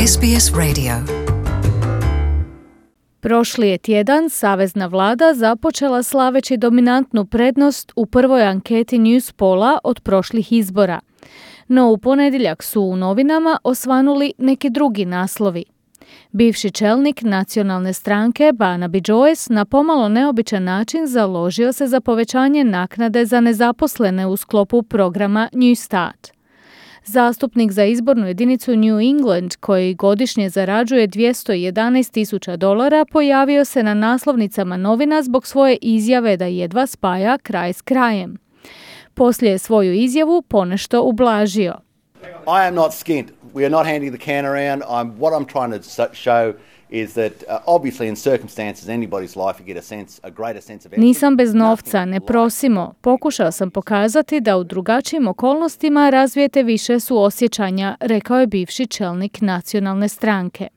SBS Radio. Prošli je tjedan savezna vlada započela slaveći dominantnu prednost u prvoj anketi Newspolla od prošlih izbora. No u ponedjeljak su u novinama osvanuli neki drugi naslovi. Bivši čelnik nacionalne stranke Barnaby Joyce na pomalo neobičan način založio se za povećanje naknade za nezaposlene u sklopu programa New Start. Zastupnik za izbornu jedinicu New England, koji godišnje zarađuje $211,000, pojavio se na naslovnicama novina zbog svoje izjave da jedva spaja kraj s krajem. Poslije je svoju izjavu ponešto ublažio. I am not skint. We are not handing the can around. What I'm trying to show is that obviously in circumstances anybody's life you get a greater sense of empathy. Nisam bez novca, ne prosimo. Pokušao sam pokazati da u drugačijim okolnostima razvijete više suosjećanja, rekao je bivši čelnik nacionalne stranke.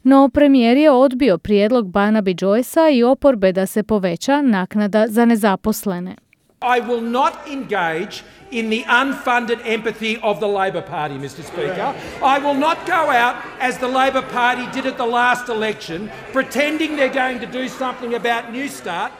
No premijer je odbio prijedlog Barnaby Joycea i oporbe da se poveća naknada za nezaposlene. I will not engage in the unfunded empathy of the Labor Party, Mr. Speaker. I will not go out as the Labor Party did at the last election, pretending they're going to do something about New Start.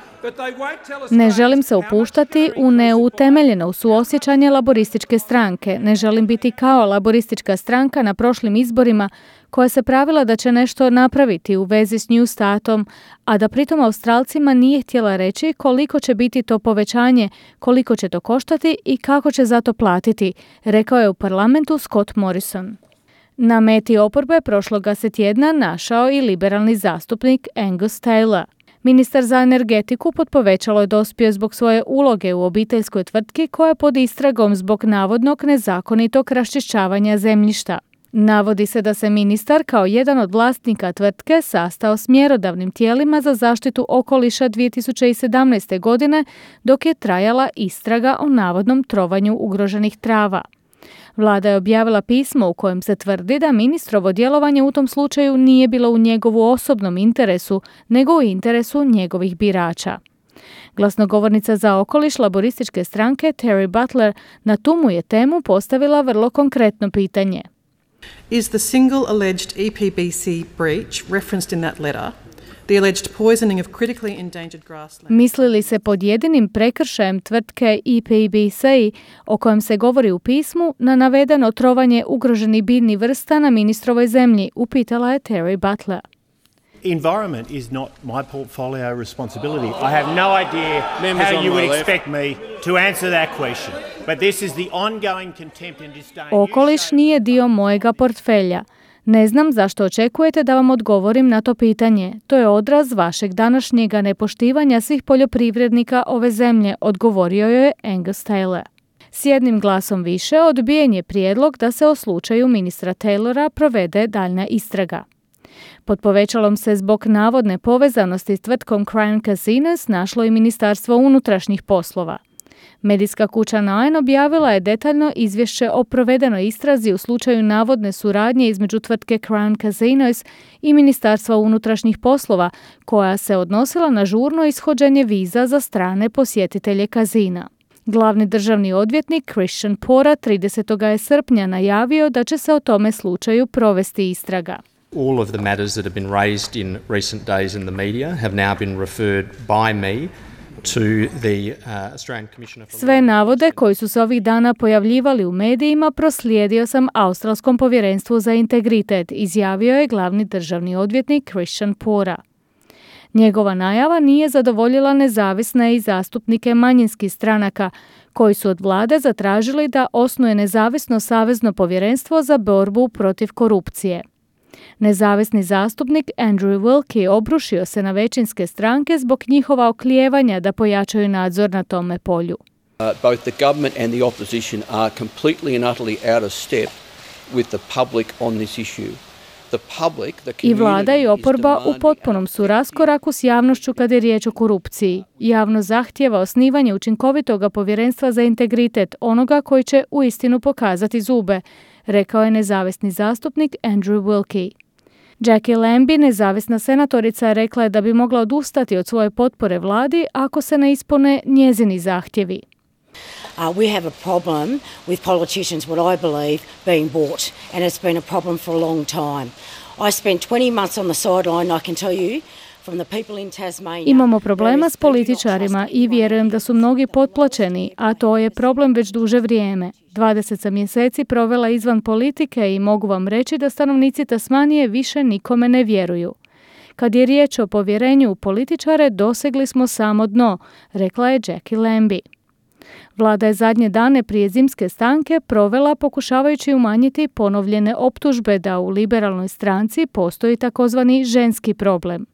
Ne želim se upuštati u neutemeljeno suosjećanje laborističke stranke. Ne želim biti kao laboristička stranka na prošlim izborima koja se pravila da će nešto napraviti u vezi s New Startom, a da pritom Australcima nije htjela reći koliko će biti to povećanje, koliko će to koštati i kako će za to platiti, rekao je u parlamentu Scott Morrison. Na meti oporbe prošloga se tjedna našao i liberalni zastupnik Angus Taylor. Ministar za energetiku pod povećalo je dospio zbog svoje uloge u obiteljskoj tvrtki koja je pod istragom zbog navodnog nezakonitog raščišćavanja zemljišta. Navodi se da se ministar kao jedan od vlasnika tvrtke sastao s mjerodavnim tijelima za zaštitu okoliša 2017. godine dok je trajala istraga o navodnom trovanju ugroženih trava. Vlada je objavila pismo u kojem se tvrdi da ministrovo djelovanje u tom slučaju nije bilo u njegovu osobnom interesu, nego u interesu njegovih birača. Glasnogovornica za okoliš laborističke stranke Terry Butler na tu mu je temu postavila vrlo konkretno pitanje. Is the single alleged EPBC breach referenced in that letter the alleged poisoning of critically endangered grassland? Misli li se pod jedinim prekršajem tvrtke EPBC o kojem se govori u pismu na navedeno trovanje ugroženih biljnih vrsta na ministrovoj zemlji, upitala je Terry Butler. Environment is not my portfolio responsibility. I have no idea how you would expect me to answer that question. But this is the ongoing contempt and disdain. Okoliš nije dio mojega portfelja. Ne znam zašto očekujete da vam odgovorim na to pitanje. To je odraz vašeg današnjega nepoštivanja svih poljoprivrednika ove zemlje, odgovorio je Angus Taylor. S jednim glasom više odbijen je prijedlog da se o slučaju ministra Taylora provede daljnja istraga. Pod povećalom se zbog navodne povezanosti s tvrtkom Crown Casinos našlo i Ministarstvo unutrašnjih poslova. Medijska kuća Nine objavila je detaljno izvješće o provedenoj istrazi u slučaju navodne suradnje između tvrtke Crown Casinos i Ministarstva unutrašnjih poslova, koja se odnosila na žurno ishođenje viza za strane posjetitelje kazina. Glavni državni odvjetnik Christian Porter 30. srpnja najavio da će se o tome slučaju provesti istraga. All of the matters that have been raised in recent days in the media have now been referred by me to the Australian Commissioner for... Sve navode koji su se ovih dana pojavljivali u medijima proslijedio sam Australskom povjerenstvu za integritet, izjavio je glavni državni odvjetnik Christian Porter. Njegova najava nije zadovoljila nezavisne i zastupnike manjinskih stranaka, koji su od vlade zatražili da osnuje nezavisno savezno povjerenstvo za borbu protiv korupcije. Nezavisni zastupnik Andrew Wilkie obrušio se na većinske stranke zbog njihova oklijevanja da pojačaju nadzor na tome polju. Both the government and the opposition are completely and utterly out of step with the public on this issue. I vlada i oporba u potpunom su raskoraku s javnošću kad je riječ o korupciji. Javno zahtijeva osnivanje učinkovitog povjerenstva za integritet, onoga koji će uistinu pokazati zube, rekao je nezavisni zastupnik Andrew Wilkie. Jackie Lambie, nezavisna senatorica, rekla je da bi mogla odustati od svoje potpore vladi ako se ne ispune njezini zahtjevi. We have a problem with politicians, what I believe, being bought, and it's been a problem for a long time. I spent 20 months on the sideline, I can tell you. Imamo problema s političarima i vjerujem da su mnogi potplaćeni, a to je problem već duže vrijeme. 20 sam mjeseci provela izvan politike i mogu vam reći da stanovnici Tasmanije više nikome ne vjeruju. Kad je riječ o povjerenju u političare, dosegli smo samo dno, rekla je Jackie Lambie. Vlada je zadnje dane prije zimske stanke provela pokušavajući umanjiti ponovljene optužbe da u liberalnoj stranci postoji takozvani ženski problem.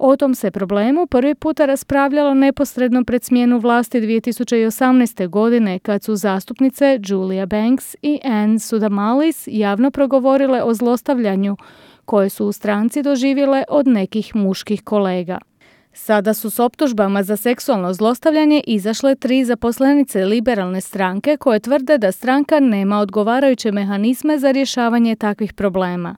O tom se problemu prvi puta raspravljalo neposredno pred smjenu vlasti 2018. godine kad su zastupnice Julia Banks i Anne Sudamalis javno progovorile o zlostavljanju koje su u stranci doživjele od nekih muških kolega. Sada su s optužbama za seksualno zlostavljanje izašle 3 zaposlenice liberalne stranke koje tvrde da stranka nema odgovarajuće mehanizme za rješavanje takvih problema.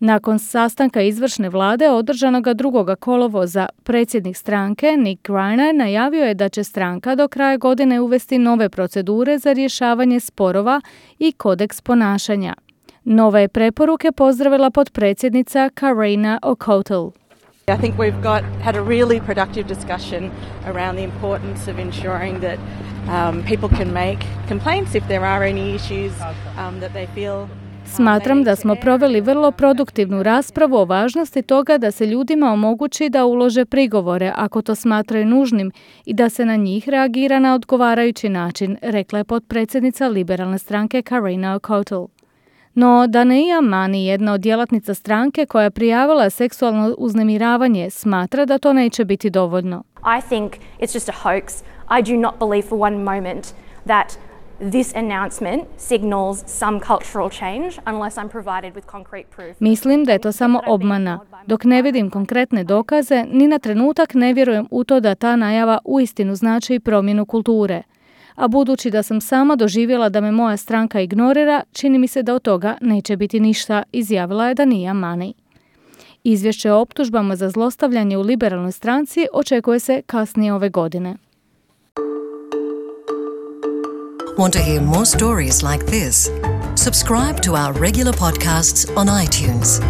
Nakon sastanka izvršne vlade održanog 2. kolovoza, predsjednik stranke Nick Greiner najavio je da će stranka do kraja godine uvesti nove procedure za rješavanje sporova i kodeks ponašanja. Nove preporuke pozdravila potpredsjednica Karina O'Cottle. I think we've had a really productive discussion around the importance of ensuring that people can make complaints if there are any issues that they feel. Smatram da smo proveli vrlo produktivnu raspravu o važnosti toga da se ljudima omogući da ulože prigovore ako to smatraju nužnim i da se na njih reagira na odgovarajući način, rekla je potpredsjednica liberalne stranke Karina O'Cottle. No, Daneia Mani, jedna od djelatnica stranke koja je prijavila seksualno uznemiravanje, smatra da to neće biti dovoljno. I think it's just a hoax. I do not believe for one moment that this announcement signals some cultural change unless I'm provided with concrete proof. Mislim da je to samo obmana. Dok ne vidim konkretne dokaze, ni na trenutak ne vjerujem u to da ta najava uistinu znači promjenu kulture. A budući da sam sama doživjela da me moja stranka ignorira, čini mi se da od toga neće biti ništa, izjavila je Daneia Mani. Izvješće o optužbama za zlostavljanje u liberalnoj stranci očekuje se kasnije ove godine. Want to hear more stories like this? Subscribe to our regular podcasts on iTunes.